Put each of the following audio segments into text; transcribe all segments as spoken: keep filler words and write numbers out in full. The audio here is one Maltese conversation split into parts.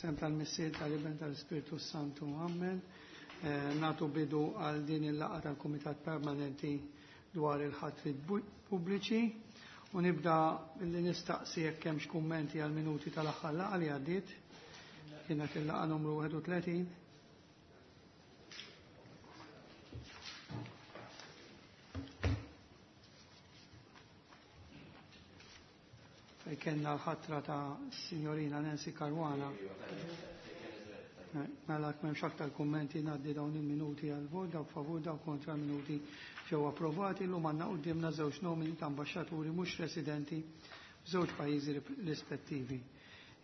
Sem tal-Missier tal-Iben tal-Ispirtu Santu. Amen. Eh, natu bidu għal din il-laqgħa tal-Kumitat Permanenti dwar il-ħatrit pubbliċi u nibda billi nistaqsi jekk hemmx kummenti għal minuti tal-aħħar laqgħa li għaddiet. Kienet il-laqgħa numru wieħed u tletin. Fej kellna l-ħatra ta' signorina Nancy Caruana. Mela m'hemmx aktar kummenti, ngħaddi dawn il-minuti għal vot, dawk favur, dawk kontra, minuti ġew approvati. Illum għandna quddiemna żewġ nomini ta' ambaxxaturi mhux residenti f'żewġ pajjiżi rispettivi.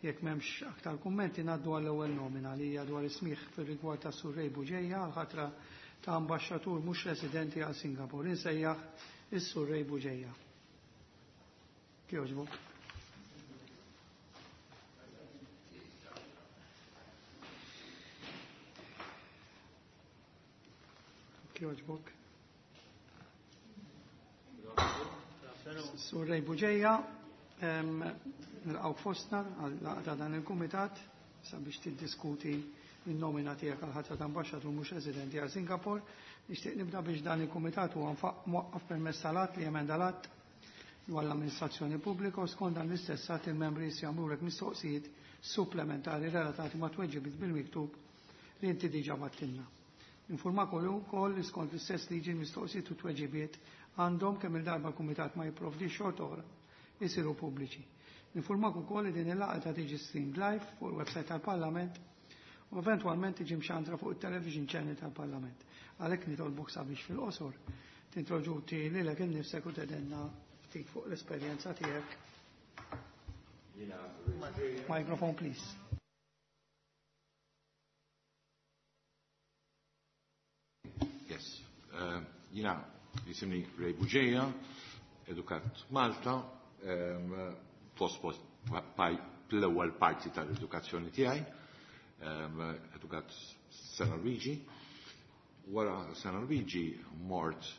Jekk m'hemmx aktar kummenti, ngħaddu għall-ewwel nomina li hija dwar ismiħ fir-rigward ta' Sur Ray Buġeja għal ħatra ta' ambaxxatur mhux residenti għal Singapore. Insejjaħ is-Sur Ray Buġeja. Kjoġbok. Kjoġbok. Sur Ray Buġeja, nilqgħu fostna għal ta' dan il-kumitat sabiex tiddiskuti il-nomina tiegħek għal ħatra ta' ambaxxatur mhux residenti għal Singapore. Nixtieq nibda biex dan il-kumitat huwa mwaqqaf permezz tal-att li emenda l-att dwar l-amministrazzjoni pubblika u skont dan l-istess att il-membri jagħmlulek mistoqsijiet supplementari relatati ma' tweġibiet bil-miktub li inti diġà battilna. Informak ukoll li skont l-istess liġi mistoqsijiet u tweġibiet għandhom, kemm il-darba l-kumitat ma jipprovdi xort oħra, isiru pubbliċi. Informak ukoll li din il-laqgħa ta' tiġi streamed live fuq il-website tal-Parlament u eventwalment tiġi mxandra fuq it-television channel tal-Parlament. Għalhekk nitolbok sabiex fil-qosor tintroduċi lilek innifsek u tgħidilna ftit fuq l-esperjenza tiegħek. Microphone, please. Yes. Uh, Jiena jisimni Ray Buġeja, edukat Malta, um, fost l-ewwel parti tal-edukazzjoni tiegħi, um, edukat San Luigi. Wara San Luigi mort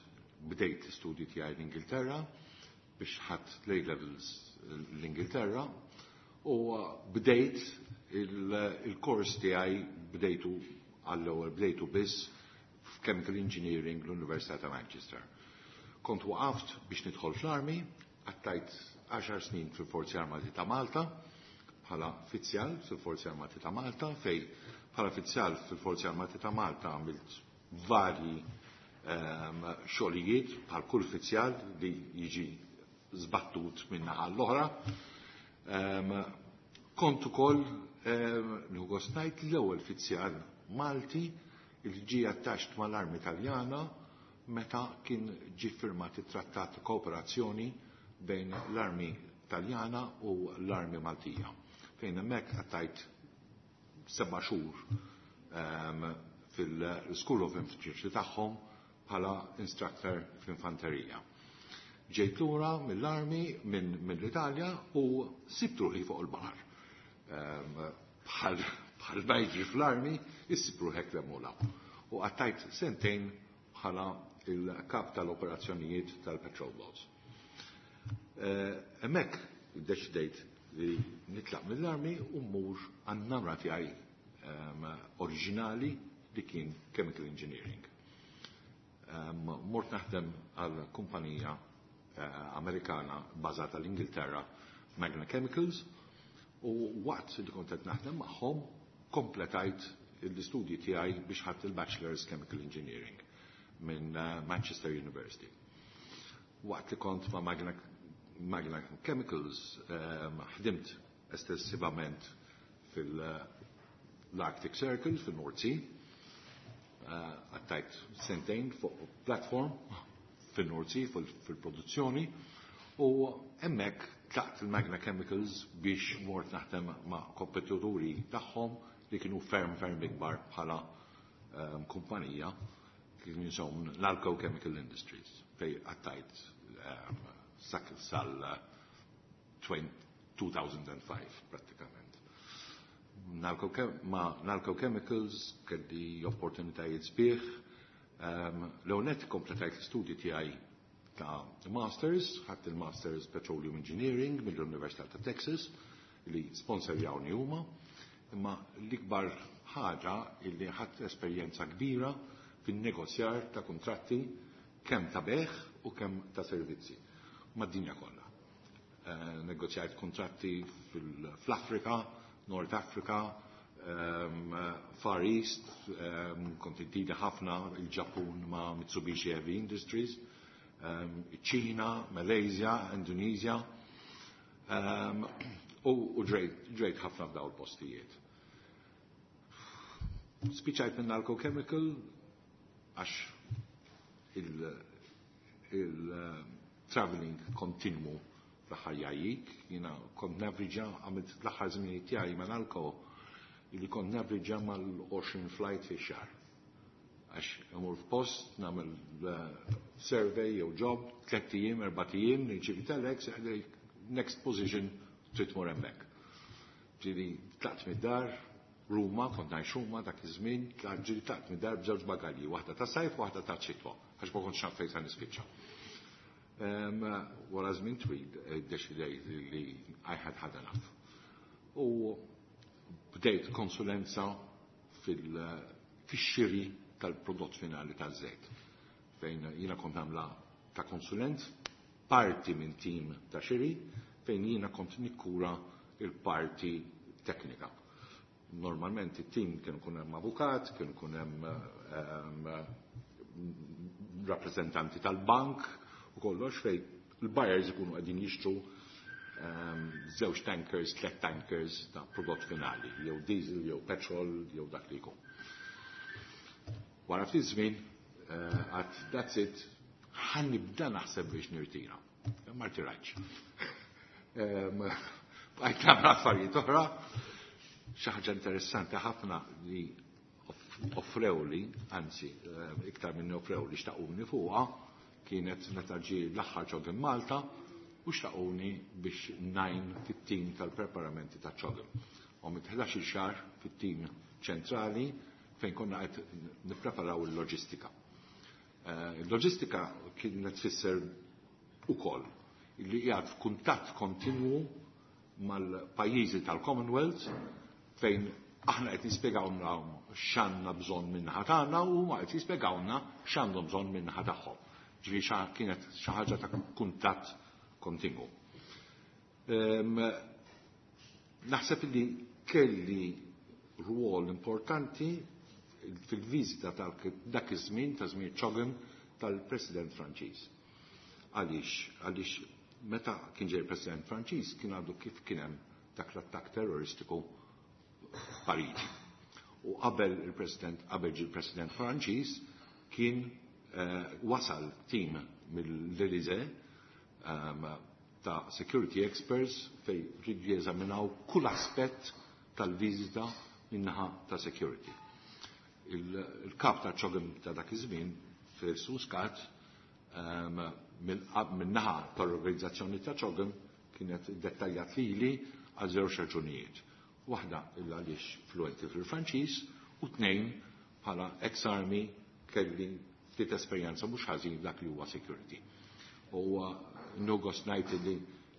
bdejt l-istudji tiegħi l-Ingilterra biex ħadd l levels l-Ingilterra u bdejt il-kors tiegħi, bdejtu għall-ewwel, bdejtu biss f'Chemical Engineering l-Università ta' Manchester. Kont waqaft biex nidħol fl-armi, għaddejt għaxar snin fil-Forzi Armati ta' Malta, bħala fizzjal fil-Forzi Armati ta' Malta, fej bħala fizzjal fil-Forzi Armati ta' Malta għamilt varji um, xogħlijiet bħal kull fizzjal li jiġi żbattut minn naħa l-oħra. Um, kont ukoll um, gost ngħid l-ewwel fizzjal Malti il ġie attached mal-armi Taljana meta kien ġie firmat it-trattat ta' kooperazzjoni bejn l-armi Taljana u l-armi Maltija. Fejn hemmhekk għaddejt seba' xhur um, fil-School of Infantry tagħhom bħala instructor fl-infanterija. Ġejt lura mill-armi minn mill-Italja u sibt ruħi fuq il-baħar. Um, bħal bħal ma jiġri fl-armi, issib ruħek l U għaddejt sentejn bħala il-kap tal-operazzjonijiet tal-patrol boats. Hemmhekk deċidejt li nitlaq mill-armi u mmur għan-namra tiegħi oriġinali li kien chemical engineering. Mort naħdem għal kumpanija Amerikana bażata l-Ingilterra, Magna Chemicals, u waqt li kont qed naħdem magħhom kompletajt l-istudji tiegħi biex ħadt il-Bachelor's Chemical Engineering minn Manchester University. Waqt li kont ma' Magna, Magna Chemicals ħdimt estensivament fil-Arctic Circle, fil-North Sea, għaddejt sentejn fuq platform fil-North Sea, fil-produzzjoni, u hemmhekk tlaqt il-Magna Chemicals biex mort naħdem ma' kompetituri tagħhom li kienu ferm ferm ikbar bħala um, kumpanija, kienu jisimhom Nalco Chemical Industries, fej għaddejt um, sal elfejn u ħamsa pratikament. Nalco, ma' Nalco Chemicals kelli opportunitajiet sbieħ. Um, L-ewwel kompletajt l-istudji tiegħi ta' Masters, ħadt il-Masters Petroleum Engineering mill-Università ta' Texas li sponsorjawni huma. Imma l-ikbar ħaġa illi ħadt esperjenza kbira fin-negozjar ta' kontratti kemm ta' bejgħ u kemm ta' servizzi mad-dinja kollha. Eh, negozjajt kontratti fl-Afrika, North Africa, um, Far East, um, kont intida ħafna il-Ġappun ma' Mitsubishi Heavy Industries, um, Ċina, Malaysia, Indonesia, um, u, u ġrejt ħafna f'daw il-postijiet. Spiċajt minn Nalco Chemical għax il-traveling il kontinwu fl-aħħar jgħajjik, jiena kont navriġa għamilt l-aħħar żmien tiegħi ma' Nalco illi kont navriġa mal-għoxrin flight fi xahar. Għax imur f'post, nagħmel survey jew job, tliet ijiem, erbat ijiem, nirċievi telex, next position trid tmur hemmhekk. Ġieli tlaqt mid-dar, Ruma, kont ngħix Ruma dak iż-żmien, ġieli tlaqt mid-dar b'żewġ bagalji, waħda ta' sajf u waħda ta' xitwa, għax ma kontx naf fejn se nispiċċa. Wara żmien twil iddeċidejt li I had had enough. U bdejt konsulenza fil-xiri tal-prodott finali taż-żejt. Fejn jiena kont nagħmla ta' konsulent, parti minn tim ta' xiri, fejn jiena kont nikkura il-parti teknika. Normalment it-tim kienu kun hemm avukat, kienu kun hemm rappresentanti tal-bank u kollox fej il-buyers ikunu qegħdin jixtru żewġ tankers, tliet tankers ta' prodott finali, jew diesel, jew petrol, jew dak li jkun. Wara ftit żmien, għad that's it, ħa nibda naħseb biex nirtira. Ma rtirajtx. Bqajt nagħmel affarijiet oħra. Xi ħaġa interessanti ħafna li offrewli, anzi, iktar minn offrewli xtaquni fuqha, kienet meta ġie l-aħħar CHOGM Malta u xtaquni biex ngħin fit-tim tal-preparamenti ta' CHOGM. U mit ħdax-il xahar fit-tim ċentrali fejn konna qed nippreparaw il-loġistika. Il-loġistika kienet tfisser ukoll li qiegħed f'kuntatt kontinwu mal-pajjiżi tal-Commonwealth fejn aħna qed nispjegawna x'għandna bżonn min-naħa tagħna u huma qed jispjegawna x'għandhom bżonn min-naħa tagħhom. Ġifieri kienet xi ħaġa ta' kuntatt kontinwu. Naħseb li kelli rwol importanti fil-viżita tal dak iż-żmien ta' żmien CHOGM tal-President Franċiż. Għaliex, għaliex meta kien ġej il-President Franċiż kien għadu kif kien hemm dak l-attakk terroristiku f'Pariġi. U qabel il-President, qabel ġie il-President Franċiż kien eh, wasal tim mill-Elysée um, ta' security experts fej ridu jeżaminaw kull aspett tal-viżita min-naħa ta' security. Il-kap ta' CHOGM ta' dak iż-żmien, Felix Muscat, um, min-naħa tal-organizzazzjoni ta' CHOGM kienet dettaljat lili għal żewġ raġunijiet. Waħda illa għaliex fluenti fil-Franċiż u tnejn bħala ex-army kelli ftit esperjenza mhux ħażin dak li huwa security. U nugos ngħid li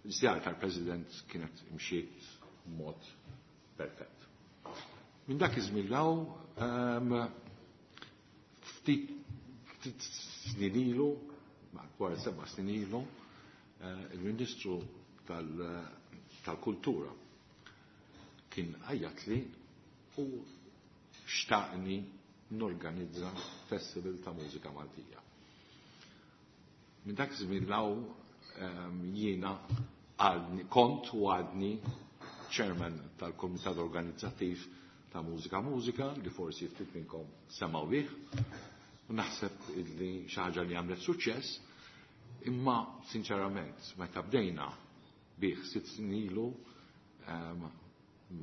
l-żjara tal-President kienet imxiet mod perfett. Minn dak iż-żmien law ftit ftit snin ilu, madwar seba' snin ilu, il-Ministru tal-Kultura kien għajjatli u xtaqni norganizza festival ta' mużika Maltija. Minn dak iż-żmien law jiena għadni kont u għadni chairman tal-Komitat Organizzattiv ta' Mużika Mużika li forsi ftit minnkom semgħu bih. U naħseb illi xi ħaġa li għamlet suċċess, imma sinċerament meta bdejna bih sitt snin ilu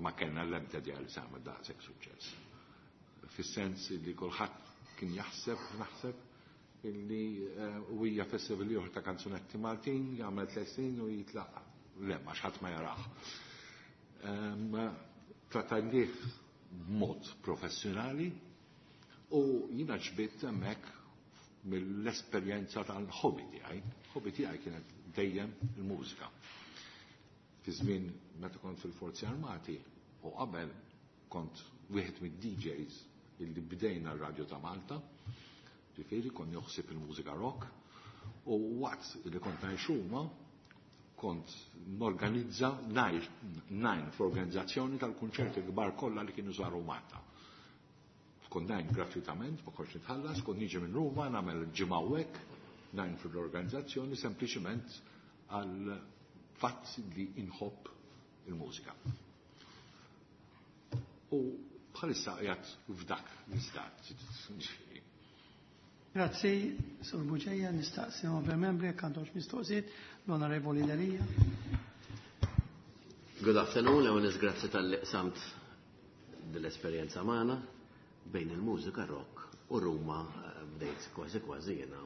ma kellna l-ebda idea li se għamel daqshekk suċċess. Fis-sens li kulħadd kien jaħseb, naħseb illi u hija festival ieħor ta' kanzunetti Maltin jagħmel tliet snin u jitlaq. Le, ma ħadd ma jarah. Trattajnieh b'mod professjonali u jiena ġbidt hemmhekk mill-esperjenza tal-hobby tiegħi. Hobby tiegħi kienet dejjem il-mużika. Fi żmien meta kont fil-Forzi Armati u qabel Kont wieħed mid-D Js illi bdejna r-radju ta' Malta, ġifieri kont joħsib il-mużika rock, u waqt li kont ngħix Ruma, kont norganizza, ngħin fl-organizzazzjoni tal-kunċerti kbar kollha li kienu saru Malta. Kont ngħin gratuitament, ma kontx nitħallas, kont niġi minn Ruma, nagħmel ġimgħa hekk, ngħin fl-organizzazzjoni sempliċement għal fatt li inħobb il-mużika. U bħalissa qiegħed f'dak l-istat. Grazzi, Sur Bugeja, nistaqsi onorevoli membri jekk għandhomx mistoqsijiet, l-Onorevoli Delia. Good afternoon, l grazzi talli qsamt dell-esperjenza magħna bejn il-mużika rock u Ruma, eh, bdejt kważi kważi jiena.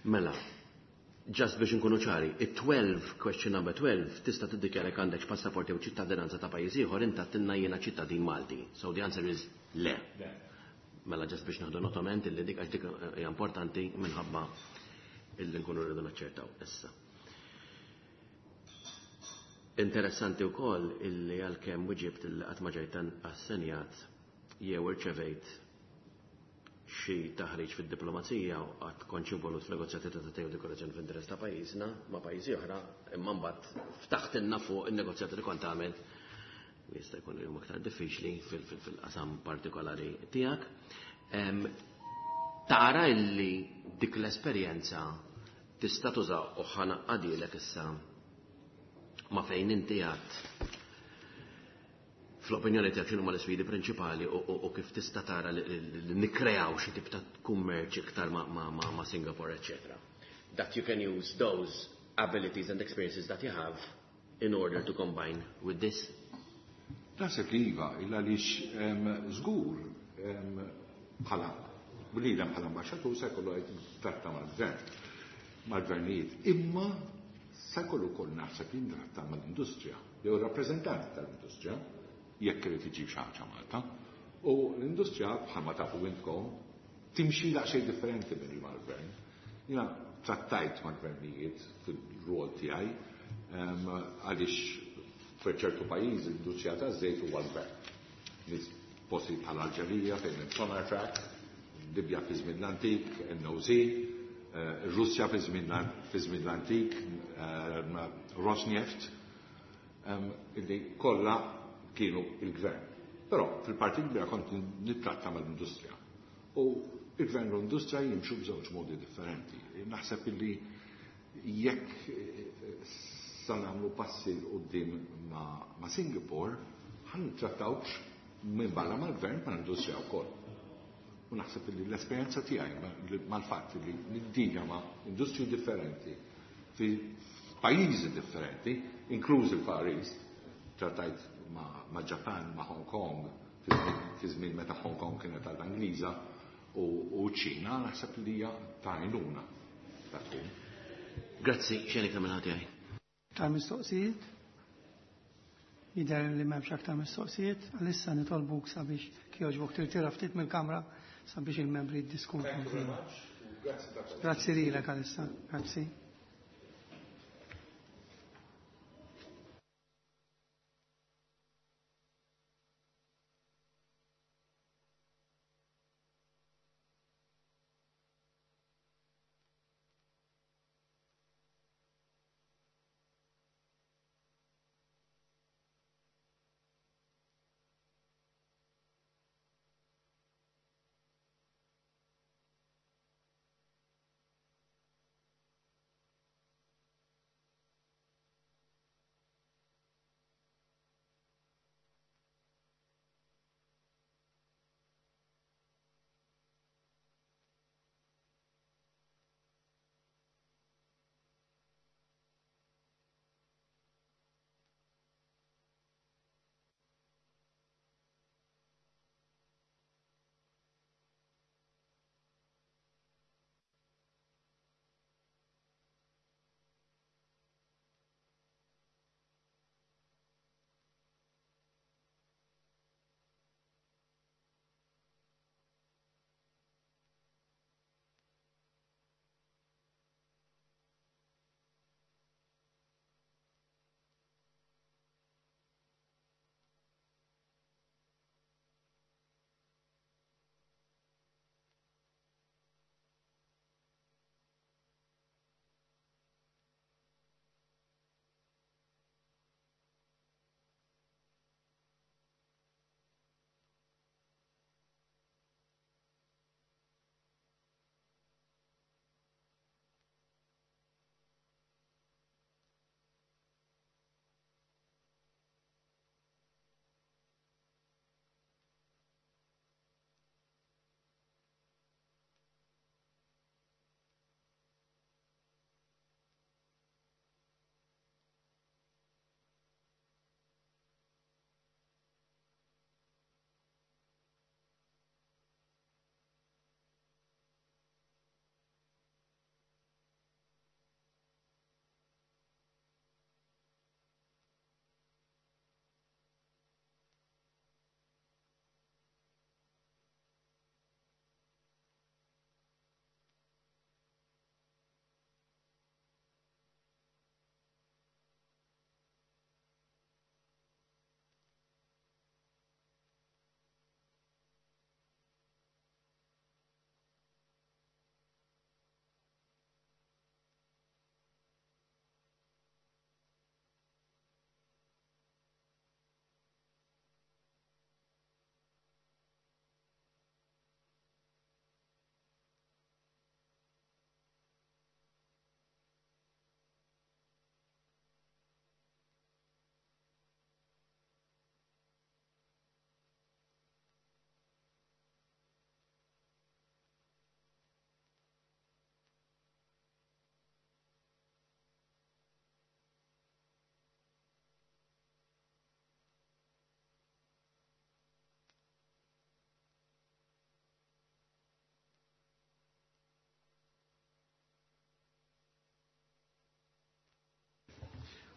Mela, just biex nkunu ċari, it-tnax, question number twelve, tista' tiddikjara jekk għandek passaport jew ċittadinanza ta' pajjiż ieħor, inta għedtilna jiena ċittadin Malti. So the answer is le. Mela just biex naħdu notament illi dik, għax dik hija importanti minħabba illi nkunu rridu naċċertaw issa. Interessanti wkoll illi għalkemm wieġibt illi qatt ma ġejt assenjat jew irċevejt xi taħriġ fid-diplomazija u qatt kontx involut f'negozjati ta' jew dekorazzjoni f'interess ta' pajjiżna ma' pajjiżi oħra, imma mbagħad ftaħtilna fuq in-negozjati li kont għamel li jista' jkun li huma aktar diffiċli fil-qasam partikolari tiegħek. Tara illi dik l-esperjenza tista' tuża u ħa ngħaqqadhielek issa ma' fejn inti għad fl-opinjoni tiegħek x'inhuma l-isfidi prinċipali u kif tista' tara li nikkreaw xi tip ta' kummerċ iktar ma' Singapore, eccetera. That you can use those abilities and experiences that you have in order to combine with this. Naħseb li iva, illa għaliex żgur bħala bniedem, bħala ambaxxatur, se jkollu qed tratta mal-gvern, mal-gvernijiet, imma se jkollu wkoll naħseb jintratta mal-industrija, jew rappreżentanti tal-industrija, jekk irid iġib xi ħaġa Malta. U l-industrija, bħalma tafu intkom, timxi daqsxejn differenti minn mal-gvern. Jiena trattajt mal-gvernijiet fil-rol tiegħi, għaliex f'ċertu pajjiżi l-industrija taż-żejt huwa l-gvern. Nies posti bħal Alġerija fejn hemm Sonatrach, Libja fi żmien l-antik, N O C, eh, Russja fi żmien l-antik, Rosneft, illi kollha kienu il-gvern. Però fil-parti kbira kont nittratta mal-industrija. U il-gvern u l-industrija jimxu b'żewġ modi differenti. Naħseb illi jekk eh, sa nagħmlu passi 'l quddiem ma', ma Singapore, ħa nittrattawx minn barra mal-gvern, ma' l-industrija wkoll. U naħseb li l-esperjenza tiegħi mal-fatt li niddilja ma' industriji differenti fi pajjiżi differenti, inkluż il-Far East, trattajt ma', ma Japan, ma' Hong Kong, fi żmien meta Hong Kong kienet għal Ingliża u, u ċina, naħseb li hija ta' għajnuna ta' tkun. Grazzi, xejn iktar minn tiegħi. Ta' mistoqsijiet? Jidher li m'hemmx aktar mistoqsijiet, għalissa nitolbuk sabiex kjoġbok tirtira ftit mill-kamra sabiex il-membri jiddiskutu. Grazzi lilek għalissa, grazzi.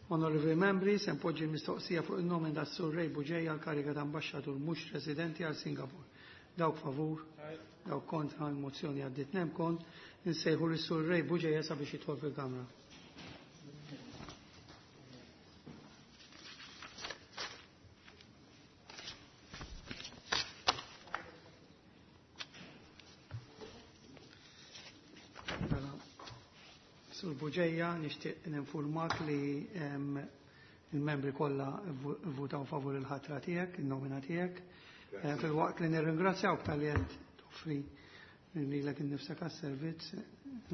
Onorevoli membri, se npoġġi l-mistoqsija fuq il-nomen ta' Sur Ray Bugeja għal kariga ta' ambaxxatur mhux residenti għal Singapore. Dawk favur, dawk kontra, l-mozzjoni għaddiet. Nemkon, insejħu lis Sur Ray Bugeja sabiex jidħol fil-Kamra. Sur Bugeja, nixtieq ninfurmak li il-membri kollha vvutaw favur il-ħatra tiegħek, in-nomina tiegħek. Filwaqt li nirringrazzjawk talli qed toffri lilek innifsek għas-servizz,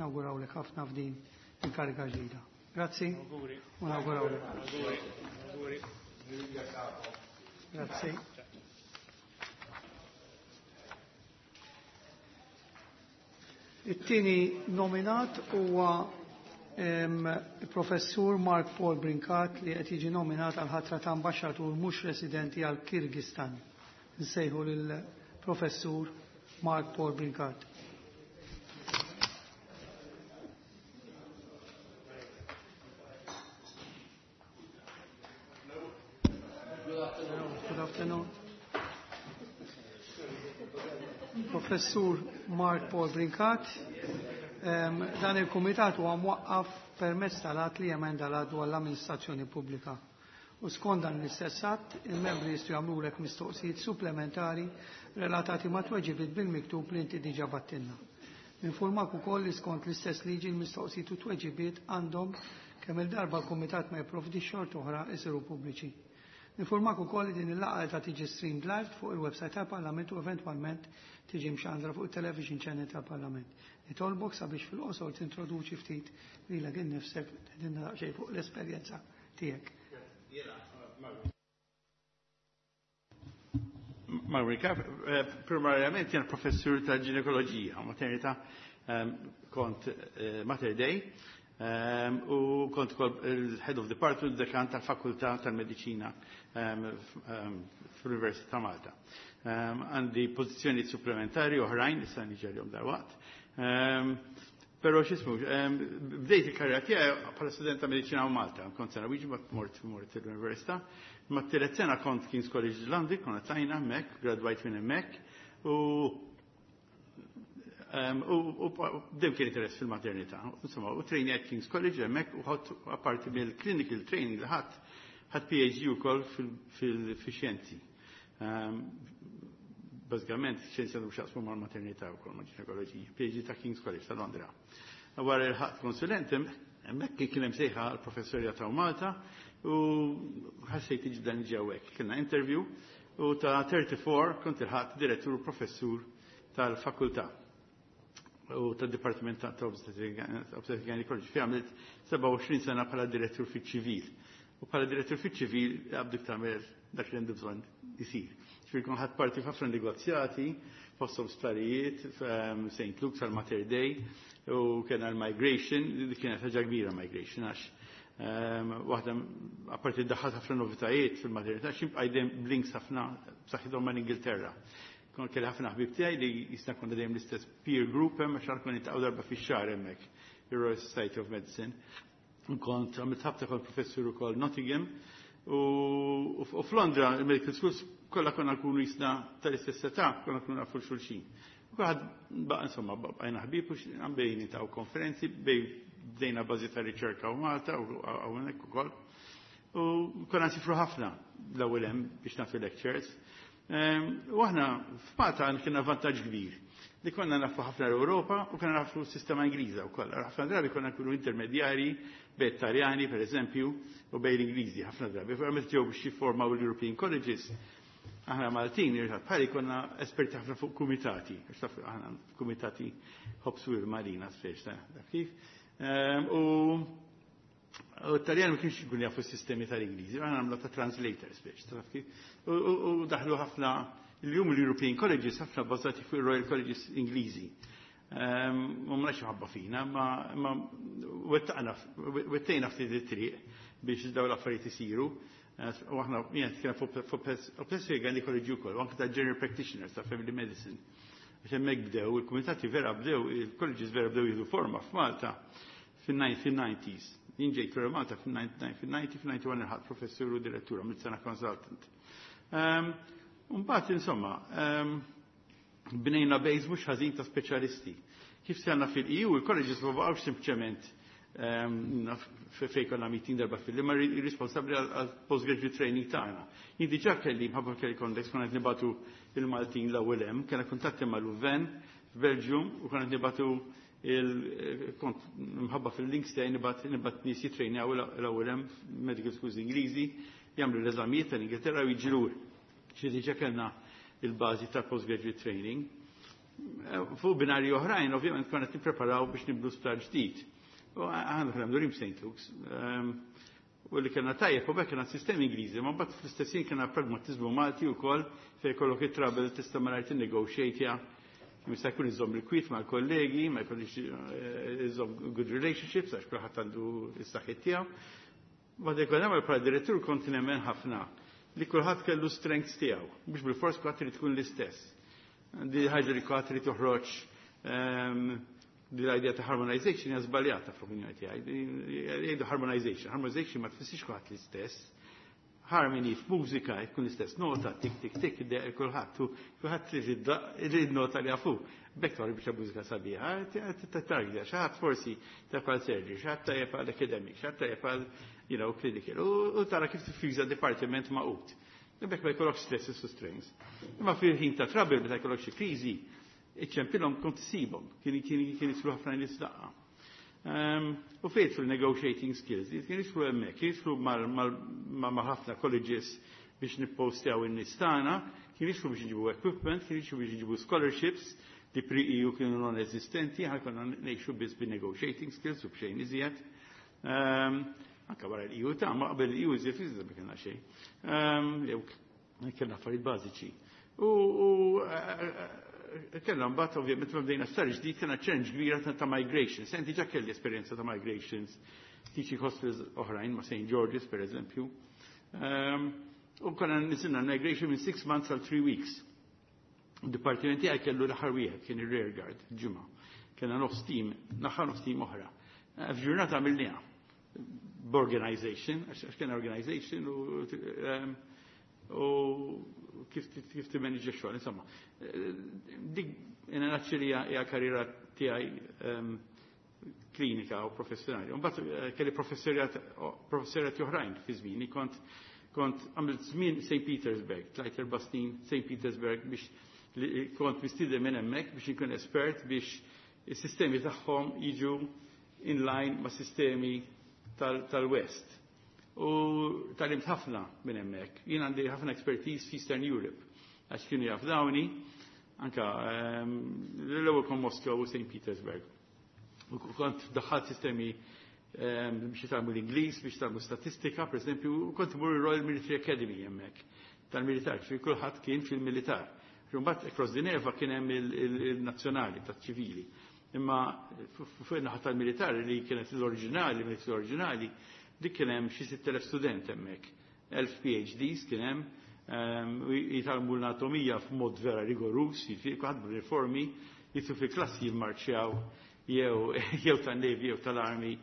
nawgurawlek ħafna f'din il-kariga ġdida. Grazzi. U nawgurawlek. Grazzi. It-tieni nominat huwa il-professur Mark Paul Brincat li qed jiġi nominat għal ħatra ta' ambaxxatur mhux residenti għal Kirgistan. Nsejħu lill-professur Mark Paul Brincat. Good afternoon. Professur Mark Paul Brincat. Dan il-kumitat huwa mwaqqaf permezz tal-att li jemenda l-att dwar l-amministrazzjoni pubblika. U skont dan l-istess att, il-membri jistgħu jagħmlulek mistoqsijiet supplementari relatati ma' tweġibiet bil-miktub li inti diġà battilna. Ninfurmak ukoll li skont l-istess liġi l-mistoqsijiet u tweġibiet għandhom kemm il-darba l-kumitat ma jipprovdix xorta oħra isiru pubbliċi. Ninfurmak ukoll li din il-laqgħa ta' tiġi streamed live fuq il-website tal-Parlament u eventwalment tiġi mxandra fuq il-television channel tal-Parlament. Nitolbok sabiex fil-qosor tintroduċi ftit lilek innifsek tgħidilna daqsxejn fuq l-esperjenza tiegħek. Marika, primarjament jien professur ta' ginekoloġija, maternità, kont Mater Dei, u kont il-head of department dekan tal-fakultà tal-mediċina fl-Università ta' Malta. Għandi pożizzjoni supplementari oħrajn, issa niġi għalihom dalwaqt. Però x'ismu, bdejt il-karriera tiegħi bħala student ta' mediċina Malta, kont sena wieġi mort mort l-università. Ma t-tielet sena kont King's College London, konna tlajna hemmhekk, gradwajt minn hemmhekk, u u bdew kien interess fil-maternità. Insomma, u training at King's College hemmhekk u ħadd apparti mill-clinical training li ħadd ħadd P H D wkoll fil-xjenzi. Bażikament, xjenzi għandhom x'jaqsmu mal-maternità wkoll, ma' ginekoloġija. P H D ta' King's College ta' Londra. Wara il-ħadd konsulent, hemmhekk kien hemm sejħa għall-professorja ta' Malta u ħassejt ġdan ġewwek. Kellna interview u ta' tlieta u tletin kont il-ħadd direttur professur tal-fakultà u tad-Dipartiment ta' Obstetric Gynecology. Fi għamilt sebgħa u għoxrin sena bħala direttur fiċ-ċivil. U bħala direttur fiċ-ċivil għabdik tagħmel dak li għandu bżonn isir. Ġifieri kont ħadt parti f'ħafna negozjati, fosthom sptarijiet, Saint Luke's għal Mater Dei, u kien għal migration, li kienet ħaġa kbira migration, għax waħda apparti daħħat ħafna novitajiet fil-maternità, xibqa' dejjem b'links ħafna b'saħħithom mal-Ingilterra. Kon kelli ħafna ħbib tiegħi li jisna konna dejjem l-istess peer group hemm għax konna niltaqgħu darba fix-xahar hemmhekk, il-Royal Society of Medicine. Kont għamilt ħabta kont professur ukoll Nottingham u f'Londra il-medical schools kollha konna nkunu jisna tal-istess età, konna nkunu nafu xulxin. U kulħadd baqa' insomma bqajna ħbieb u bejn niltaqgħu konferenzi, bej bdejna bażi ta' riċerka u Malta u hawnhekk ukoll. U konna nsifru ħafna l-ewwel hemm biex nagħtu lectures. U aħna f'Malta kienna vantaġġ kbir li konna nafu ħafna l-Ewropa u konna nafu s-sistema Ingliża wkoll. Ħafna drabi konna nkunu intermedjari bejn Taljani, per eżempju, u bejn l-Ingliżi ħafna drabi. Meta ġew biex jiffurmaw l-European Colleges, aħna Maltin, bħali konna esperti ħafna fuq kumitati, aħna kumitati ħobsu il-Marina speċ, ta' kif. U U t-Taljan ma kienx ikun jafu s-sistemi tal-Ingliżi, aħna għamlu ta' translators biex, taf kif? U daħlu ħafna, il-jum l-European Colleges ħafna bażati fuq il-Royal Colleges Ingliżi. U ma nafx ħabba fina, ma wettaqna, wettejna ftit it-triq biex daw l-affarijiet isiru. U aħna jien kien fuq obstetric gynecology wkoll, u anke ta' general practitioners ta' family medicine. Biex hemmhekk bdew, il-kumitati vera bdew, il-colleges vera bdew jieħdu forma f'Malta fin-nineties. Jien ġejt Malta fil-disgħin, fil-disgħin ilħaqt professur u direttura, mill sena consultant. Mbagħad, insomma, bnejna base mhux ħażin ta' speċjalisti. Kif sejna fil-E U, il-colleges ma baqgħux sempliċement fejn konna meeting darba fil ma responsabbli għal postgraduate training tagħna. Jien diġà kelli mħabba kelli contacts, konna qed nibagħtu il-Maltin l-ewwel hemm, kellna kuntatti ma' Louvain f'Belgium u konna qed nibagħtu il kont mħabba fil-links tiegħi nibgħat nibgħat nies jitrejnjaw l-ewwel hemm medical schools Ingliżi, jagħmlu l-eżamijiet tal-Ingilterra u jiġu lura. Xi diġà kellna il-bażi ta' postgraduate training. Fuq binari oħrajn, ovvjament, konna nippreparaw biex nibdu sptar ġdid. U għandu konna mdurim Saint Luke's. U li kellna tajjeb, u kellna sistemi Ingliżi, ma mbagħad fl-istess ħin kellna pragmatizmu Malti wkoll, fejn kollok it-trouble tista' malajr tinnegotiate, jista' jkun iżomm il-kwit mal-kollegi, ma jkollix iżomm good relationships għax kulħadd għandu s-saħħit tiegħu. Bad jkun hemm, bħala direttur kont nemmen ħafna li kulħadd kellu strengths tiegħu, mhux bil-fors kulħadd irid tkun l-istess. Di ħaġa li kulħadd irid toħroġ, di l-idea ta' harmonization hija żbaljata fl-opinjoni tiegħi. Jgħidu harmonization, harmonization ma tfissirx kulħadd l-istess. Harmony f'mużika jkun l-istess nota, tik tik tik, id kulħadd, u kulħadd li nota li jafu. Bekk torri biex mużika sabiħa, targja, xi ħadd forsi ta' għal surgery, xi ħadd tajjeb għal academic, xi ħadd tajjeb għal you know, clinical. U tara kif tiffiża departiment maqut. Bekk ma jkollokx stresses u strains. Imma fil-ħin ta' trouble, meta jkollok xi kriżi, iċċempilhom kont issibhom, kien kien kien jidħlu ħafna nies daqqa. U fejt fil-negotiating skills, kien jidħlu hemmhekk, kien jidħlu ma' ħafna colleges biex nippostjaw in-nies tagħna, kien jidħlu biex nġibu equipment, kien jidħlu biex nġibu scholarships li pre-E U kienu non-esistenti, ħa konna ngħixu biss bi negotiating skills u b'xejn iżjed. Anka wara l-E U ta' ma qabel l-E U iżjed iżjed ma kellna xejn. Jew kellna affarijiet bażiċi. U kellna mbagħad, ovvjament, ma bdejna sar ġdid, kellna challenge kbira ta' migration. Senti ġa kelli esperjenza ta' migrations, teaching hospitals oħrajn ma' Saint George's, per eżempju. U konna niżżilna migration minn six months għal three weeks. Dipartimenti għaj kellu l-aħħar wieħed kien ir-rear guard, ġimgħa. Kellna nofs team, naħa nofs team oħra. F'ġurnata għamilniha. B'organization, għax kien organization u u kif kif timmanġa xogħol, insomma. Dik in a nutshell hija karriera tiegħi klinika u professjonali. Mbagħad kelli professorjat professorjat oħrajn fi żmieni, kont kont għamilt żmien Saint Petersburg, tlajt erba' snin Saint Petersburg biex kont mistieden minn hemmhekk biex inkun espert biex is-sistemi tagħhom jiġu in line ma' sistemi tal-West. U tgħallimt ħafna minn hemmhekk. Jien għandi ħafna expertise f'Eastern Europe għax kienu jafdawni anka l-ewwel kon Moskow u Saint Petersburg. U kont daħħalt sistemi biex jitgħallmu l-Ingliż, biex jitgħallmu statistika, per esempio, u kont mur Royal Military Academy hemmhekk tal-militar, fi kulħadd kien fil-militar. Mbagħad across the Neva kien hemm il-nazzjonali taċ-ċivili. Imma fuq in-naħa tal-militar li kienet l-oriġinali, l-oriġinali, dik kien hemm xi sitt elef student hemmhekk. Elf P H Ds kien hemm, jitgħallmu l-anatomija f'mod vera rigorus, jiġifieri kulħadd b'uniformi, jidħlu fi klassi jimmarċjaw jew jew tan-Navy jew tal-Army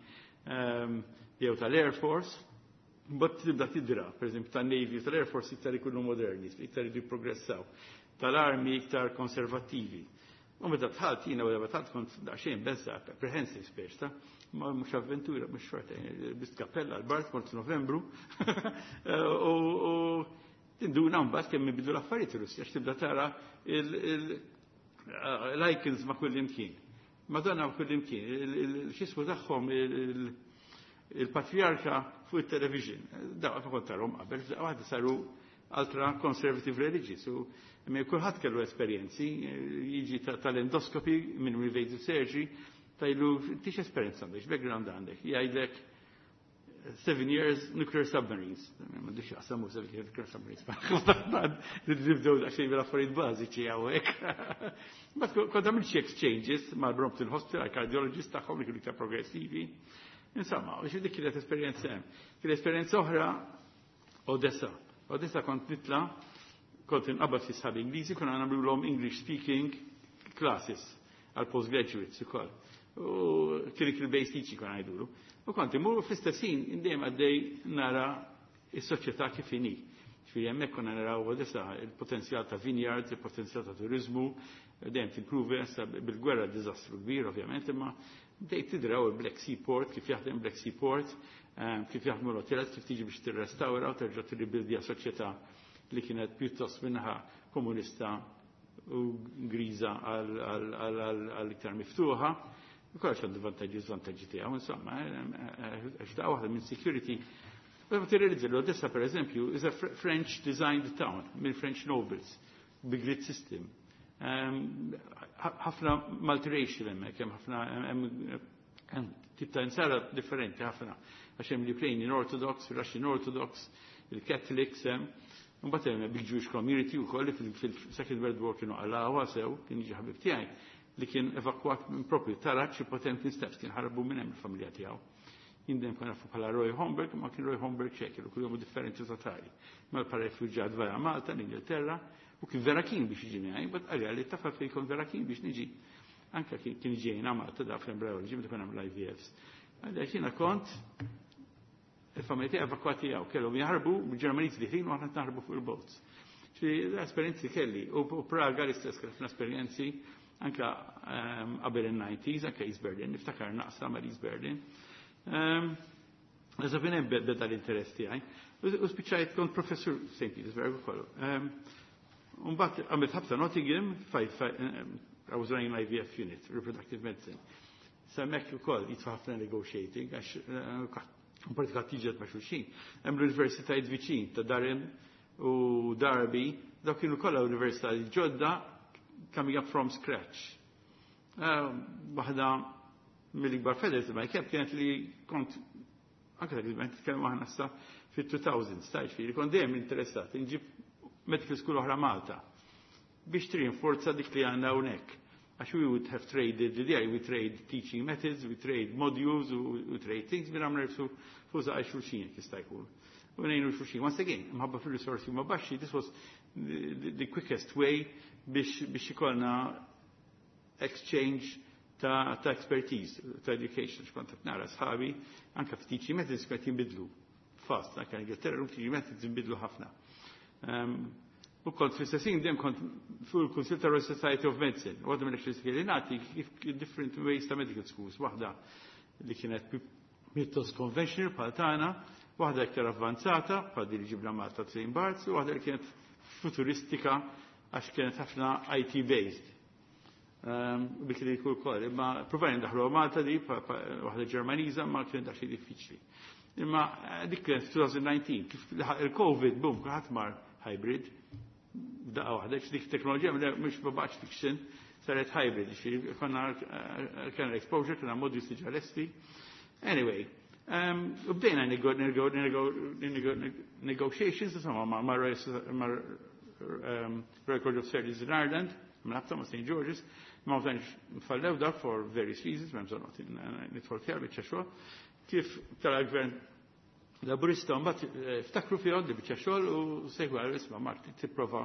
jew tal-Air Force. But tibda tidra, per eżempju, tan-Navy u tal-Air Force iktar ikunu moderni, iktar idu jipprogressaw. Tal-Army iktar konservattivi. U meta dħalt jiena, wara dħalt kont daqsxejn beża, apprehensive speċ ta' ma mhux avventura, mhux xorta, lbist kappella l-bart kont Novembru. U tinduna mbagħad kemm ibidu l-affarijiet Russja, għax tibda tara l-icons ma' kull imkien. Madonna ma' kull imkien, x'ismu tagħhom, il-patriarka fuq il-television. Daw ma kont tarhom qabel, waħda saru ultra conservative religious. U kulħadd kellu esperjenzi, jiġi tal-endoskopi minn invasive surgery, tajlu tix esperjenza għandek, background għandek, jgħidlek seven years nuclear submarines. Ma dix jaqsamu seven years nuclear submarines. Nibdew daqsxejn bil-affarijiet bażiċi hawnhekk. But kont għamilt xi exchanges mal-Brompton Hospital, għal cardiologist tagħhom li kienu iktar progressivi. Insomma, u dik kienet esperjenza hemm. Kienet esperjenza oħra Odessa. Odessa kont nitla, kont inqabad fi sħab Ingliżi, konna nagħmluhom English speaking classes għal postgraduates ukoll. U clinical based teaching kon għajdulu. U kont imur fl-istess ħin dejjem għaddej nara is-soċjetà kif inhi. Ġifieri hemmhekk konna naraw Odessa il-potenzjal ta' vineyards, il-potenzjal ta' turizmu, dejjem timpruvi issa bil-gwerra diżastru kbir ovvjament, imma bdejt tidraw il-Black Sea Port, kif jaħdem Black Sea Port, ehm, kif jaħdmu l-hotels, kif tiġi biex tirrestawra u terġa' tirribildja soċjetà li kienet pjuttost minnaħa komunista u griża għal iktar miftuħa. Kollox għandu vantaġġi u żvantaġġi tiegħu, insomma, għax daqqa waħda minn security. Ma tirrealizza li Odessa, per eżempju, is a French designed town minn French nobles, bi grid system. Ħafna multiracial hemmhekk, hemm ħafna hemm tip ta' insara differenti ħafna. Għax hemm l-Ukrainian Orthodox, Russian Orthodox, il-Catholics, hemm. Mbagħad hemm big Jewish community wkoll li fil-Second World War kienu għalawha sew, kien jiġi ħabib tiegħi li kien evakwat minn propju taraġ Potemkin Steps, kien ħarbu minn hemm il-familja tiegħu. Jindem kien nafu bħala Roy Homberg, ma kien Roy Homberg xekil, u kuljum differenti totali. Ma bħala rifuġġat vera Malta, l-Ingilterra, u kien vera kien biex jiġi miegħi, bat għalja li tafa fejn kont vera kien biex niġi. Anka kien ġejna Malta da fl-embryology, meta kien hemm l-I V Fs. Għalja jiena kont il-familja tiegħi evakwati għaw, kellhom jaħarbu, bil-Ġermaniż li u aħna naħarbu fuq il-boats. L-esperjenzi kelli, u Praga l-istess kelli ħafna esperjenzi, anka ehm, qabel il-nineties, anka East Berlin, niftakar naqsa ma' East Berlin. Eżatt minn hemm beda l-interess tiegħi. U spiċċajt kont professur Saint Petersburg ukoll. Mbagħad għamilt ħabta Nottingham, I was running an I V F unit, reproductive medicine. Hemmhekk ukoll jitfa' ħafna negotiating, għax eh, pratika tiġet ma' xulxin. Hemm l-universitajiet viċin ta' Durham u Derby, dawk kienu kollha universitajiet ġodda coming up from scratch. Eh, waħda mill-ikbar feathers ma jkeb kienet li kont anke dak iż-żmien nitkellmu aħna issa fit-two thousands, ta' ġifieri kont dejjem interessat inġib medical school oħra Malta biex trinforza dik li għandna hawnhekk. Għax we would have traded, l-idea we trade teaching methods, we trade modules, we trade things, minn għamna nifsu fuq għaj xulxin jista' jkun. U ngħinu xulxin. Once again, mħabba fil-risorsi ma baxxi, this was the, the quickest way biex, biex ikollna exchange ta', ta' expertise, ta' education, xkont qed nara sħabi, anka f'teaching methods kont jinbidlu fast, anka Ingilterra teaching methods jinbidlu ħafna. Um, u kont fl-istessin dejjem kont fuq il-Kunsil ta' Royal Society of Medicine, u għadhom il li nagħti kif different ways ta' medical schools, waħda li kienet pjuttost conventional bħal tagħna, waħda iktar avvanzata bħal din li ġibna Malta Saint Barts, u waħda li kienet futuristika għax kienet ħafna I T based. Um, Bik li jkun ukoll, imma provajna ndaħlu Malta di, waħda Ġermaniża, ma kienet daqsxejn diffiċli. Imma eh, dik kienet elfejn u dsatax, kif il-Covid, boom, kulħadd mar hybrid, daqqa waħda, dik teknoloġija mhux ma baqgħetx fiction, saret hybrid, ġifieri konna eh, kena exposure, kena modules diġà lesti. Anyway, um, u bdejna negotiations, insomma, ma' ma' um, Royal College of Surgeons in Ireland, mnabta ma' Saint George's, ma' tantx fallew dak for various reasons, ma' bżonn nidħol fiha biċċa xogħol. Kif tal-gvern Laburista mbagħad eh, ftakru fihom di biċċa xogħol u sejħu għal isma' Mark tipprova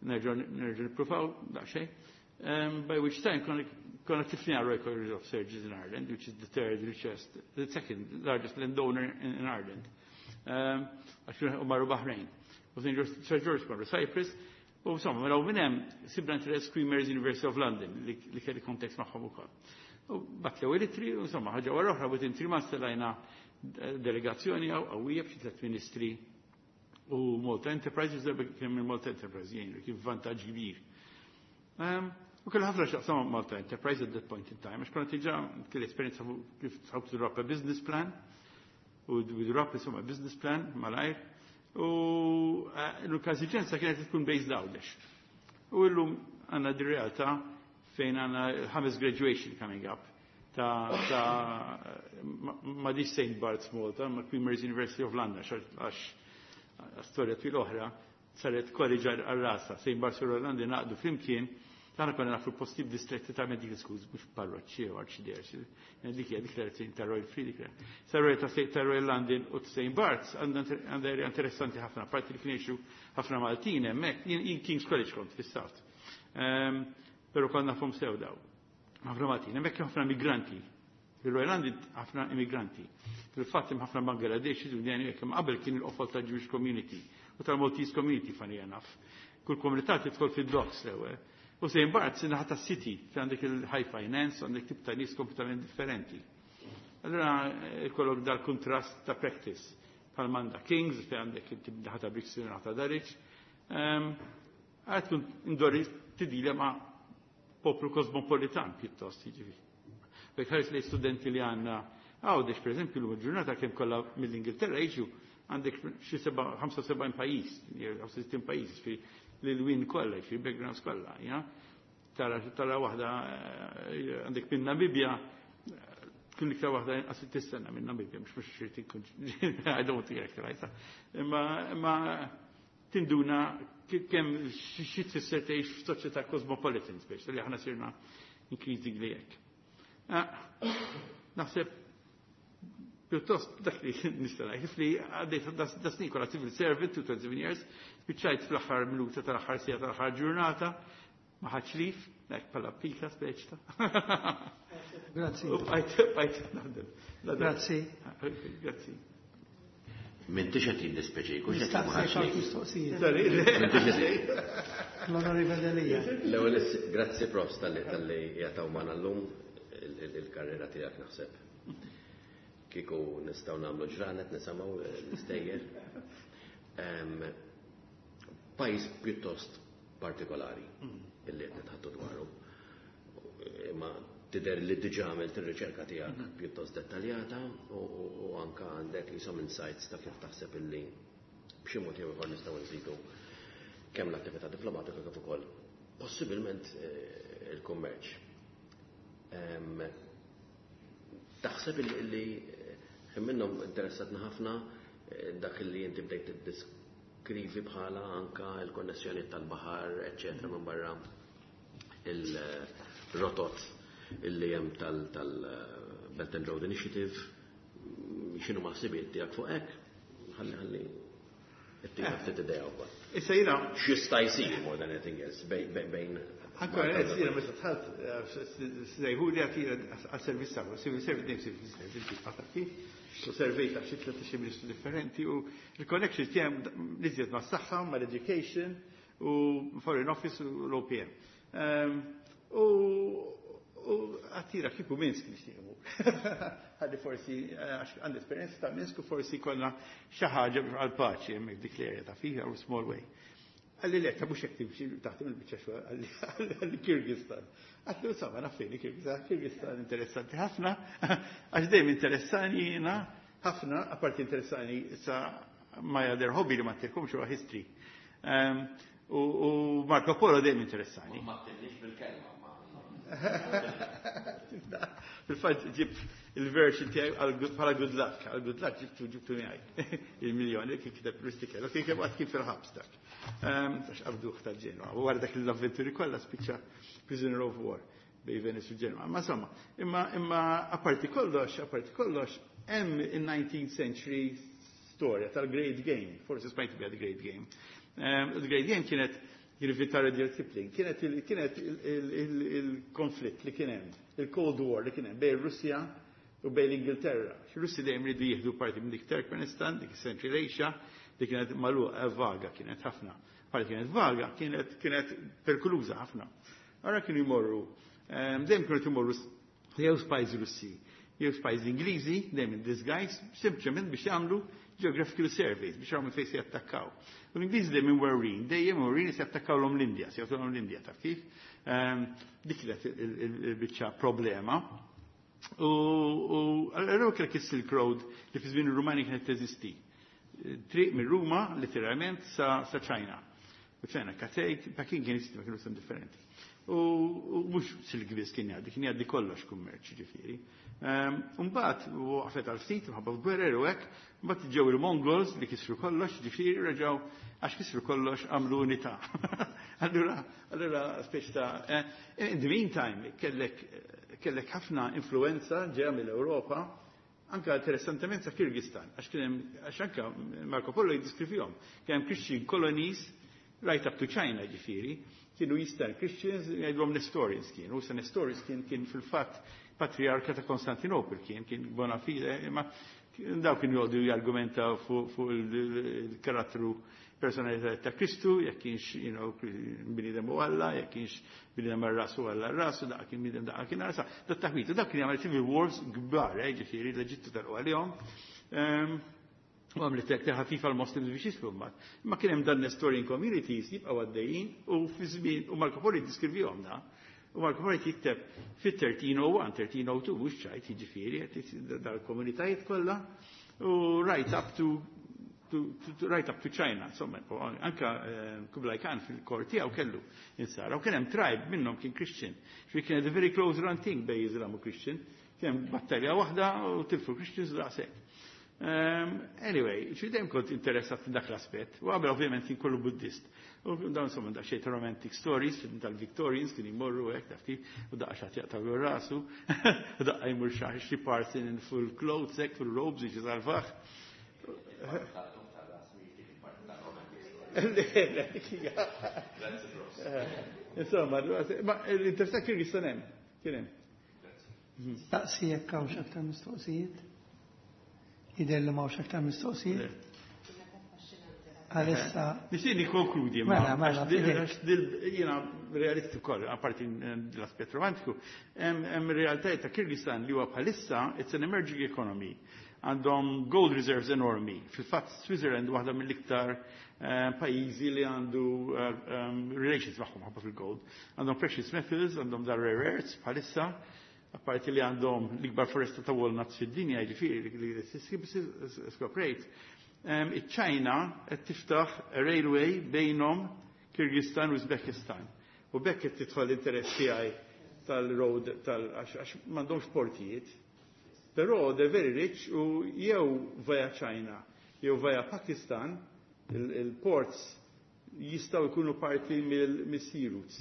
nerġa' nerġa' nippruvaw daqsxejn. Um, by which time konna konna tifni Royal College of Surgeons in Ireland, which is the third richest, the second largest landowner in, in Ireland. Um, għax u marru Bahrain. U Saint George, Sir George marru Cyprus. U insomma, mela minn hemm sibna interess Queen Mary's University of London li, li kelli contact magħhom ukoll. U bat l-ewwel ittri, u insomma, ħaġa wara oħra, within three months telajna delegazzjoni qawwija b'xi tliet ministri u Malta Enterprises, darba kien minn Malta Enterprise jgħin, kien vantaġġ kbir. Um, u kellu ħafna xaqsam Malta Enterprise at that point in time, għax konna diġà kelli esperjenza fuq kif how to drop a business plan, u we drop insomma business plan malajr, u eh, l-każiġenza kienet tkun based Għawdex. U illum għandna di realtà fejn għandna ħames graduation coming up ta' ta' ma- ma di Saint Bart's Malta, ma Queen Mary's University of London, għax storja twil oħra, saret college għal-rasa, Saint Bart's u London naqdu flimkien, tagħna konna nafu posti distretti ta' medical schools, mhux parroċċi u arċidjerċi. Dik hija diklarazzjoni ta' Royal Free dik. Sa Royal ta' ta' Royal London u Saint Bart's għandha area interessanti ħafna, parti li kienu ħafna Maltin hemmhekk, jien King's College kont fis-South. Ehm, Però konna nafhom sew daw. Ħafna Maltin, hemmhekk ħafna migranti. Fil-Royal Island ħafna immigranti. Fil-fatt hemm ħafna Bangladesh, Indjani, hekk qabel kien il-qofol tal-Jewish Community u tal-Maltese Community, funny enough. Kull komunità tidħol fid-docks l-ewwel. U Saint Barts naħa tas-city, fejn għandek il-high finance, għandek tip ta' nies kompletament differenti. Allora ikollok dal-kontrast ta' practice. Bħal manda Kings, fejn għandek il-tip naħa ta' Brixton, naħa ta' Dulwich. Għad tkun indori tidila ma' poplu kosmopolitan pjuttost, jiġifieri. Bek ħares li studenti li għandna Għawdex, per eżempju, l-ġurnata kemm kollha mill-Ingilterra jiġu, għandek xi ħamsa u sebgħin pajjiż, ħamsa u sittin pajjiż, fi l-win kollha, fi backgrounds kollha, ja. Tara tara waħda għandek minn Namibja, tkun iktar waħda inqas tistenna minn Namibja, mhux mhux xi tkun, I don't want to characterize. Imma imma tinduna kemm xi tfisser tgħix f'soċjetà cosmopolitan speċi li aħna sirna increasingly hekk. Naħseb pjuttost dak li nista' ngħid li għaddejt da snin kollha civil servant, twenty-seven years, spiċċajt fl-aħħar minuta tal-aħħar siegħa tal-aħħar ġurnata, ma ħadx leave, hekk bħala pika speċi ta'. Grazzi. U bqajt bqajt naħdem. Grazzi. Grazzi. M'intix qed jiddispjaċik, u x'qed ma Nistaqsek ħadx għal leave. mistoqsijiet. Sorry. M'intix qed L-Onorevole Delia. L-ewwel, grazzi, Profs, talli talli jagħtaw magħna llum il-karriera tiegħek naħseb. Kieku nistgħu nagħmlu ġranet nisimgħu l-istejjer. Pajjiż pjuttost partikolari illi qed nitħattu dwaru. Imma tidher li diġà għamilt ir-riċerka tiegħek pjuttost dettaljata u u anka għandek jisom insights ta' kif taħseb illi b'xi mod jew ieħor nistgħu nżidu kemm l-attività diplomatika kif ukoll possibilment eh, il-kummerċ. Em, Taħseb illi eh, minnhom interessatna ħafna eh, dak li inti bdejt tiddiskrivi bħala anka il-konnessjoni tal-baħar, eċċetera, minn barra il-rotot illi hemm tal-Belt and Road Initiative, x'inhu ma ħsibiet tiegħek fuq hekk? Ħalli ħalli ittina ftit idea wkoll. Issa jiena X'jista' jsir more than anything else bejn bejn Ankora, jiena meta dħalt, sejħu li għatira għal-servizz tagħhom, civil service, dejjem civil service, inti taf kif, u servejt għal xi tlettax ministru differenti u il-connection tiegħi li ma' s-saħħa, ma' l-education u Foreign Office u l-O P M. U u għattira kieku Minsk nixtieq imur. Ħalli forsi, għax għandi esperjenza ta' Minsk u forsi konna xi ħaġa għal-paċi hemmhekk dik l-area ta' fiha u small way. Qalli le, ta' mhux hekk timxi taħdem il-biċċa xogħol, qalli Kirgistan. Għedtlu insomma naf fejn Kirgistan, Kirgistan interessanti ħafna, għax dejjem interessani jiena ħafna, apparti interessani sa my other hobby li ma tilkomx huwa history. Um, U u Marco Polo dejjem interessani. Ma tillix bil-kelma. Fil-fatt ġib il-version tiegħi bħala good luck, għal good luck ġibtu ġibtu miegħi il-miljoni kien kiteb Rustichello, kien kien waqt kien fil-ħabs dak. Għax qabduh tal-Ġenwa. U wara dak l-avventuri kollha spiċċa prisoner of war bej Venice u Ġenwa. Ma insomma, imma imma apparti kollox, apparti kollox, hemm il-nineteenth century storja tal-Great Game, forsi smajtu biha the Great Game. Um, the Great Game kienet jirvita Rudyard Kipling, kienet kienet il-konflitt li kien hemm, il-Cold War li kien hemm bejn Russja u bejn l-Ingilterra. Russi dejjem ridu jieħdu parti minn dik Turkmenistan, dik Central Asia, li kienet magħluqa, vaga kienet ħafna. Parti kienet vaga, kienet kienet perikoluża ħafna. Ara kienu jmorru, dejjem kienu jmorru jew spies Russi, jew spies Ingliżi, dejjem in disguise, sempliċement biex jagħmlu geographical surveys, biex jagħmlu fejn se jattakkaw. U l-Ingliżi dejjem imwerwrin, dejjem imwerwrin se jattakkaw l-Indja, se jagħtuhom l-Indja, taf kif? Dik kienet il-biċċa problema. U allura kellek is-Silk Road li fi żmien ir-Rumani kienet teżisti. Triq minn Ruma, literalment, sa, sa China. U China, Cathay, Peking kien jisisti, ma kienu sem differenti. U mhux silk biss kien jgħaddi, kien jgħaddi kollox kummerċ, ġifieri. Mbagħad waqfet għal ftit minħabba f'gwerer u hekk, mbagħad ġew il-Mongols li kisru kollox, ġifieri reġgħu għax kisru kollox għamlu unità. Allura, allura speċi ta' in the meantime kellek kellek ħafna influenza ġeja mill-Ewropa, anka interessantement sa Kirgistan, għax kien hemm, għax anka Marco Polo jiddiskrivihom, kien hemm Christian colonies Right up to China ġifieri, kienu Eastern Christians, jgħidulhom Nestorians kienu, sa Nestorians kien kien fil-fatt patriarka ta' Konstantinopel kien, kien bona fide, ma daw kien jgħodu jargumenta fuq fu il-karattru personalità ta' Kristu, jekk kienx, you know, bniedem u Alla, jekk kienx bniedem ar-rasu Alla ar-rasu, daqqa kien bniedem daqqa kien arsa. Dat taħwita, dak kien jagħmel civil wars kbar, eh, ġifieri l-Eġittu tal għalihom. U għamlet hekk ħafifa l-Muslims biex jislu mbagħad. Imma kien hemm dan Nestorian communities jibqgħu għaddejjin u fi żmien u Marco Polo jiddiskrivihom da. U Marco Polo jikteb fit-thirteen oh one, thirteen oh two, mhux ċajt, jiġifieri dal-komunitajiet kollha u right up to to, to, to right up to China, insomma, anka eh, Kublai Khan fil-kor tiegħu kellu insara, u kien hemm tribe minnhom kien Christian. Ġifieri kienet a very close run thing bej Islam u Christian. Kien hemm battalja waħda u tilfu Christians daqshekk. Um, anyway, xi dejjem kont interessat f'dak l-aspett. U qabel ovvjament kien kollu Buddist. U dawn insomma daqsxejn ta' romantic stories tal-Victorians kien jmorru hekk taf kif, u daqqa xi jaqtaw rasu, u daqqa jmur xi parson in full clothes hekk, full robes biex jisalvah. Le, insomma, ma l-interessat Kirgistan hemm, kien hemm. Staqsi jekk hawnx aktar mistoqsijiet. Jidher li m'hawnx aktar mistoqsijiet. Għalissa. Nixtieq nikkonkludi, ma Mela, mela, għax dil jiena realisti wkoll, apparti l-aspett romantiku, hemm realtajiet ta' Kirgistan li huwa bħalissa it's an emerging economy. Għandhom gold reserves enormi. Fil-fatt Switzerland waħda mill-iktar eh, pajjiżi li għandu eh, um, relations magħhom ħabba fil-gold. Għandhom precious metals, għandhom dar rare earths bħalissa, apparti li għandhom l-ikbar foresta ta' walnuts fid-dinja, ġifieri li skoprejt. Iċ-Ċina qed tiftaħ railway bejnhom Kirgistan u Uzbekistan. U bekk qed tidħol l-interess tiegħi tal-road tal għax m'għandhomx portijiet. Però they're very rich u jew via China jew via Pakistan il-ports jistgħu jkunu parti mill-sea routes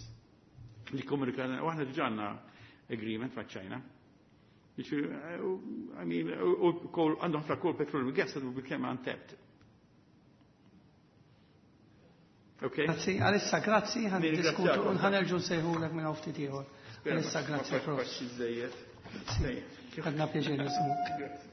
li komunikana, u aħna diġà għandna agreement ma' China. I mean, u għandhom ħafna coal, petroleum, gas that will become untapped. Okay? Grazzi, għalissa grazzi, ħa niddiskutu, Nirringrazzjakom. ħa nerġgħu nsejħulek minn hawn ftit ieħor. Għalissa grazzi, Prof. Għadna pjaċir nisimgħuk. Grazzi.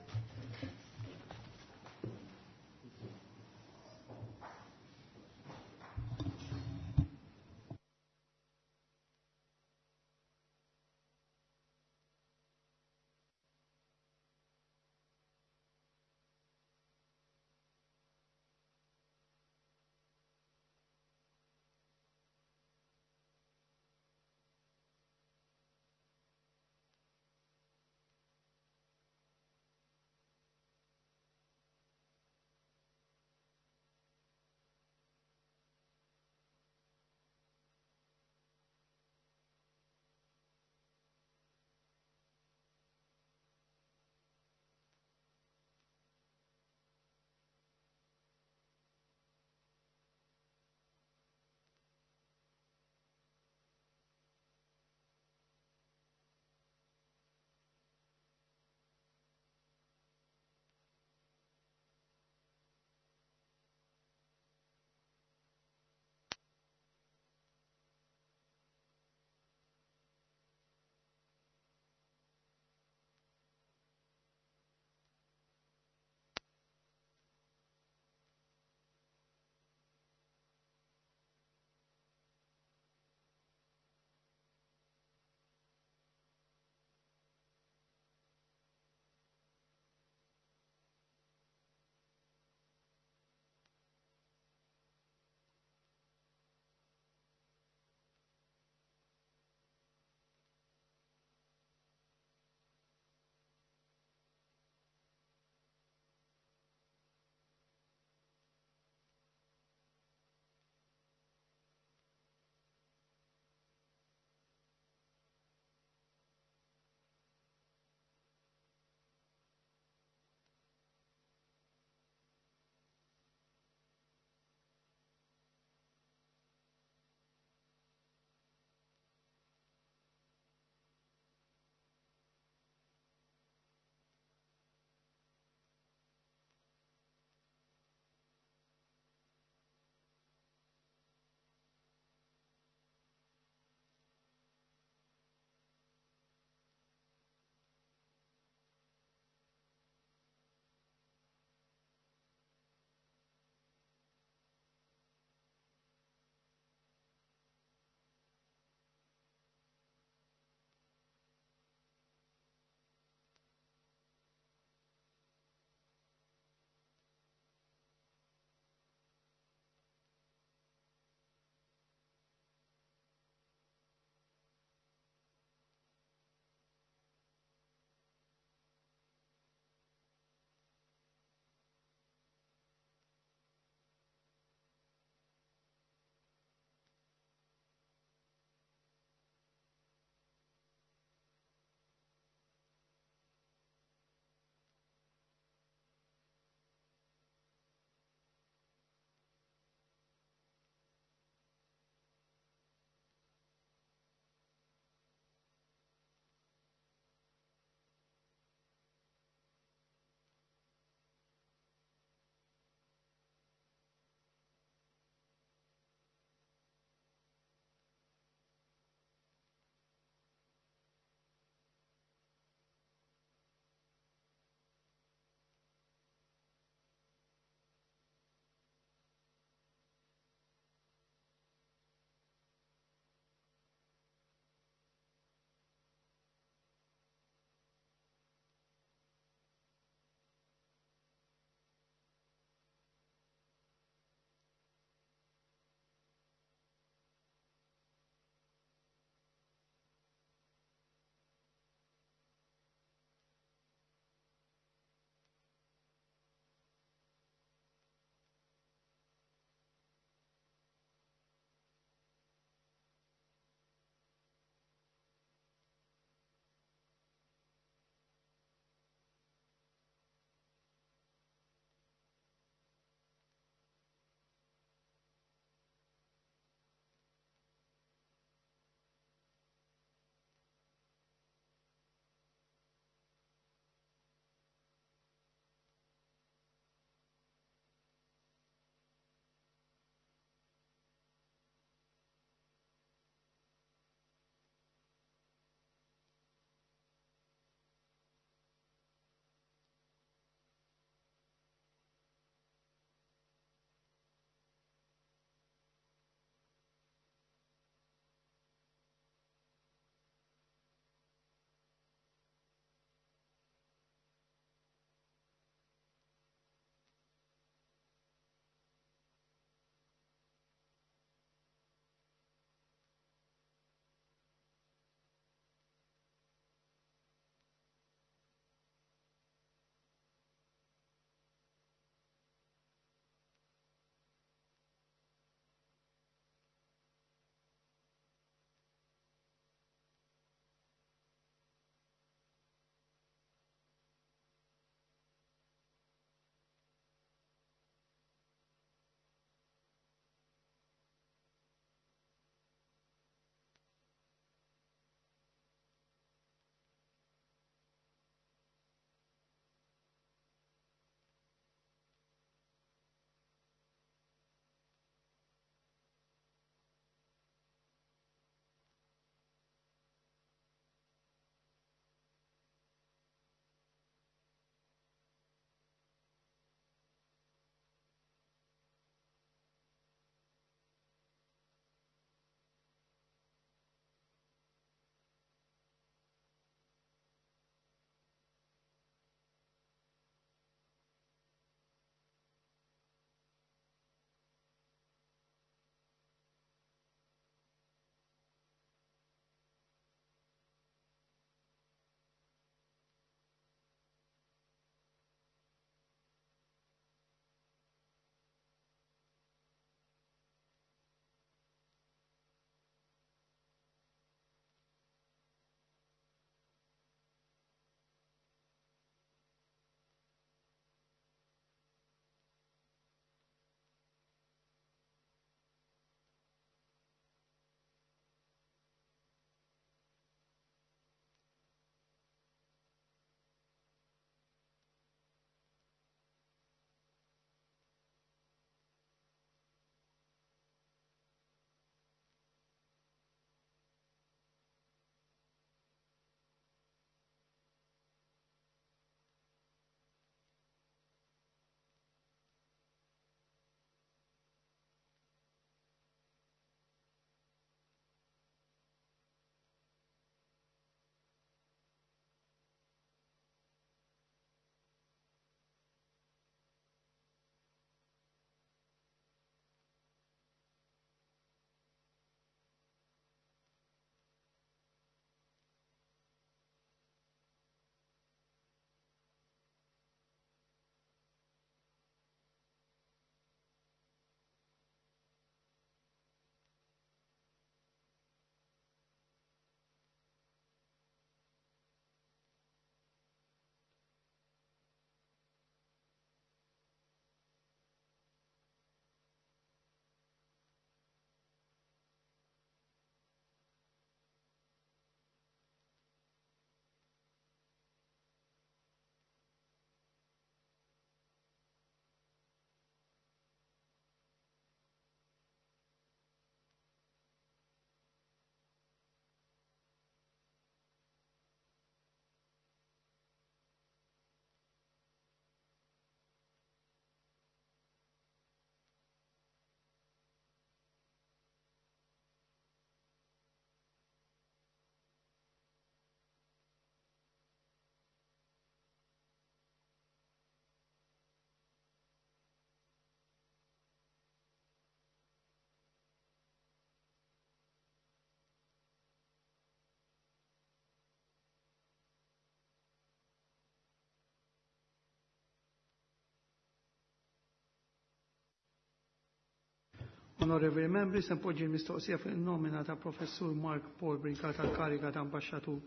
Onorevoli membri, se npoġġi l-mistoqsija fuq il-nomina ta' Professur Mark Paul Brincat għal kariga ta' ambasċatur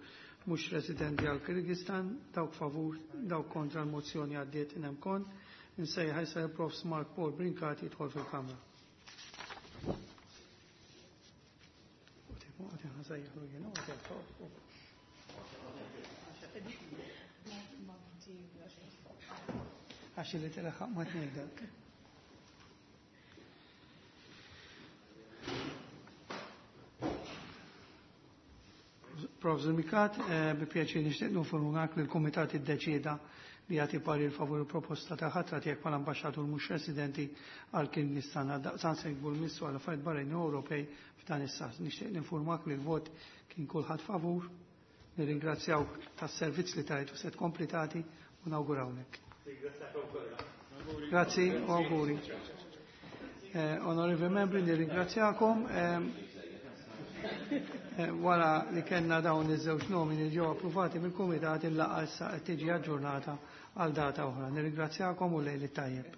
mhux residenti għal Kirgistan, dawk favur, dawk kontra l-mozzjoni għaddiet inemkon. Insejjaħ issa il-Profs Mark Paul Brincat jidħol fil-Kamra. Għax li tilħaq ma tnejdak. Prof. Mikat, eh, bi pjaċir nixtieq ninformak li l-Kumitat iddeċieda li jagħti parir favur il-proposta ta' ħatra tiegħek bħala ambaxxatur mhux residenti għal Kirgistan. Għaldaqstant se jkun missu għal affarijiet barranin Ewropej f'dan is-sas. Nixtieq ninformak li l-vot kien kulħadd favur. Nirringrazzjawk tas-servizz li tajt u se tkompli tagħti u nawgurawlek. Grazzi u auguri. Eh, onorevoli membri, nirringrazzjakom. Eh, Eh, wara li kellna dawn iż-żewġ nomini ġew approvati mill-Kumitat, il-laqgħa issa qed tiġi aġġornata għal data oħra. Nirringrazzjakom u lejl it-tajjeb.